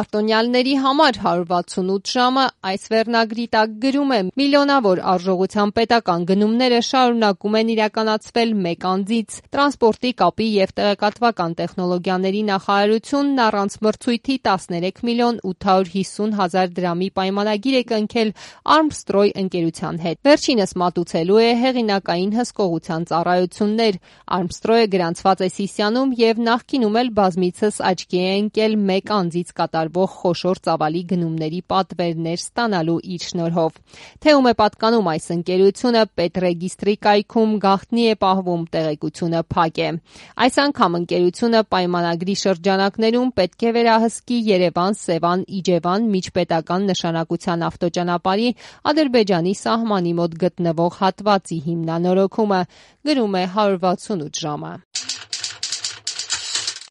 Արտոնյալների համար 168 ժամը այս վերնագրի տակ գրում է. միլիոնավոր արժողության պետական գնումները շարունակում են իրականացվել մեկ անձից։ Տրանսպորտի, կապի և տեղեկատվական տեխնոլոգիաների նախարարությունն առանց մրցույթի 13 միլիոն 850 հազար դրամի պայմանագիր է կնքել Armstrong ընկերության հետ։ Վերջինս մատուցելու է հեղինակային հսկողության ծառայություններ։ Armstrong-ը գրանցված է Սիսիանում և նախկինում էլ բազմիցս աչքի է ընկել մեկ անձից կատարվող խոշոր ծավալի գնումների պատվերներ ստանալու իր շնորհով։ Թե ում է պատկանում այս ընկերությունը, պետռեգիստրի կայքում գաղտնի է պահվում, տեղեկությունը փակ է։ Այս անգամ ընկերությունը պայմանագրի շրջանակներում պետք է վերահսկի Երևան-Սևան-Իջևան միջպետական նշանակության ավտոճանապարհի Ադրբեջանի սահմանի մոտ գտնվող հատվածի հիմնանորոգումը, գրում է 168 ժամը։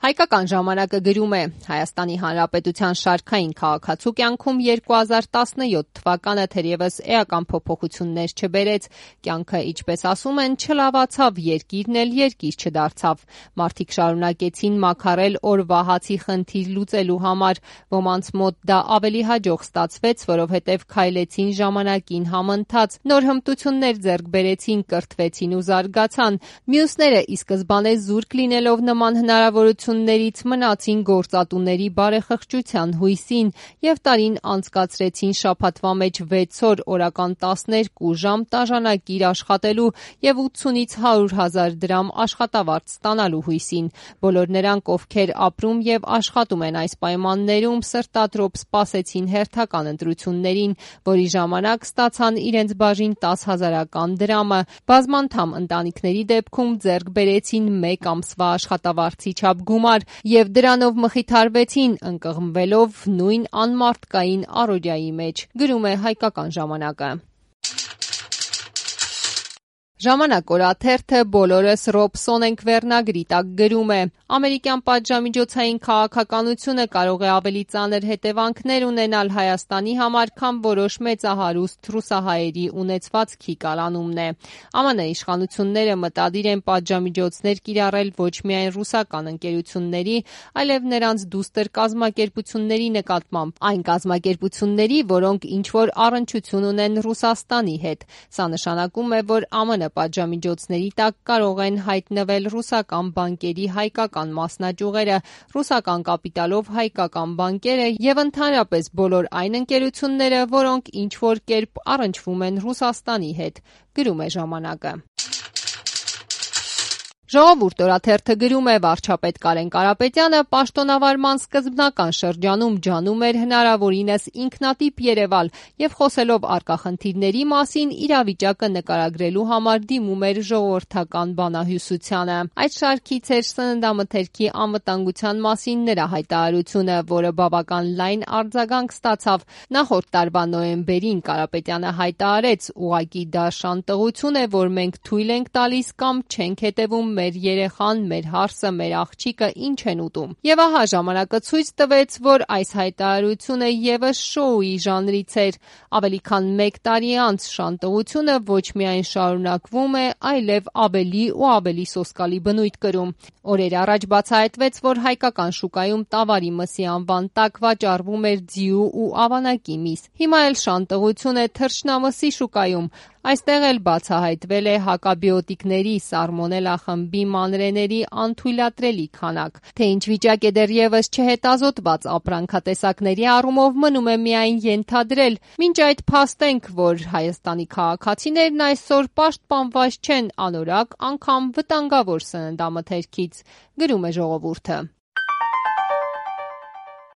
Հայկական ժամանակը գրում է. Հայաստանի Հանրապետության շարքային քաղաքացու կյանքում 2017 թվականը թերևս էական փոփոխություններ չբերեց, կյանքը, ինչպես ասում են, չլավացավ, երկիրն էլ երկիր չդարձավ։ Մարդիկ շարունակեցին մաքարել օրվա հացի խնդիր լուծելու համար, ոմանց մոտ դա ավելի հաջող ստացվեց, որովհետև քայլեցին ժամանակին համընթաց, նոր հմտություններ ձեռք բերեցին, կրթվեցին ու զարգացան։ Մյուսները ի սկզբանե զուրկ լինելով նման հնարավորություններից մնացին գործատուների բարեխղճության հույսին և տարին անցկացրեցին շաբաթվա մեջ 6 օր, օրական 12 ժամ տաժանակիր աշխատելու և 80-ից 100 հազար դրամ աշխատավարձ ստանալու հույսին։ Բոլոր նրանք, ովքեր ապրում և աշխատում են այս պայմաններում, սրտադրոտ սպասեցին հերթական ընտրություններին, որի ժամանակ ստացան իրենց բաժին 10 հազարական դրամը։ Բազմանդամ ընտանիքների դեպքում ձեռք բերեցին մեկ ամսվա աշխատավարձի չափ գումար և դրանով մխիթարվեցին, ընկղմվելով նույն անմարդկային առօրյայի մեջ, գրում է Հայկական ժամանակը։ Ժամանակ օրաթերթը բոլորս Ռոբսոն ենք վերնագրի տակ գրում է. ամերիկյան պատժամիջոցային քաղաքականությունը կարող է ավելի ծանր հետևանքներ ունենալ Հայաստանի համար, քան որոշ մեծահարուստ ռուսահայերի ունեցվածքի կալանումն է։ ԱՄՆ իշխանությունները մտադիր են պատժամիջոցներ կիրառել ոչ միայն ռուսական ընկերությունների, այլև նրանց դուստր կազմակերպությունների նկատմամբ, այն կազմակերպությունների, որոնք ինչ-որ առնչություն ունեն Ռուսաստանի հետ։ Սա նշանակում է, որ ԱՄՆ պատժամիջոցների տակ կարող են հայտնվել ռուսական բանկերի հայկական մասնաճյուղերը, ռուսական կապիտալով հայկական բանկերը և ընդհանրապես բոլոր այն ընկերությունները, որոնք ինչ-որ կերպ առնչվում են Ռուսաստանի հետ, գրում է ժամանակը։ Ժողովուրդ օրաթերթը գրում է. վարչապետ Կարեն Կարապետյանը պաշտոնավարման սկզբնական շրջանում ջանում էր հնարավորինս ինքնատիպ երևալ և խոսելով առկա խնդիրների մասին իրավիճակը նկարագրելու համար դիմում էր ժողովրդական բանահյուսությանը։ Այդ շարքից էր սննդամթերքի անվտանգության մասին նրա հայտարարությունը, որը բավական լայն արձագանք ստացավ։ Նախորդ տարվա նոյեմբերին Կարապետյանը հայտարարեց. ուղղակի դա շանտղություն է, որ մենք թույլ ենք տալիս կամ չենք հետևում մեր երեխան, մեր հարսը, մեր աղջիկը ինչ են ուտում։ Եվ ահա ժամանակը ցույց տվեց, որ այս հայտարարությունը ևս շոուի ժանրից էր։ Ավելի քան մեկ տարի անց շանտղությունը ոչ միայն շարունակվում է, այլև ավելի ու ավելի սոսկալի բնույթ կրում։ Օրեր առաջ բացահայտվեց, որ հայկական շուկայում տավարի մսի անվան տակ վաճառվում էր ձիու ու ավանակի միս։ Հիմա էլ շանտղություն է թռչնամսի շուկայում։ Այստեղ էլ բացահայտվել է հակաբիոտիկների, սալմոնելլա խմբի մանրէների անթույլատրելի քանակ։ Թե ինչ վիճակ է դեռևս չհետազոտված ապրանքատեսակների առումով, մնում է միայն ենթադրել։ Մինչ այդ փաստենք, որ Հայաստանի քաղաքացիներն այսօր պաշտպանված չեն անորակ, անգամ վտանգավոր սննդամթերքից, գրում է Ժողովուրդը։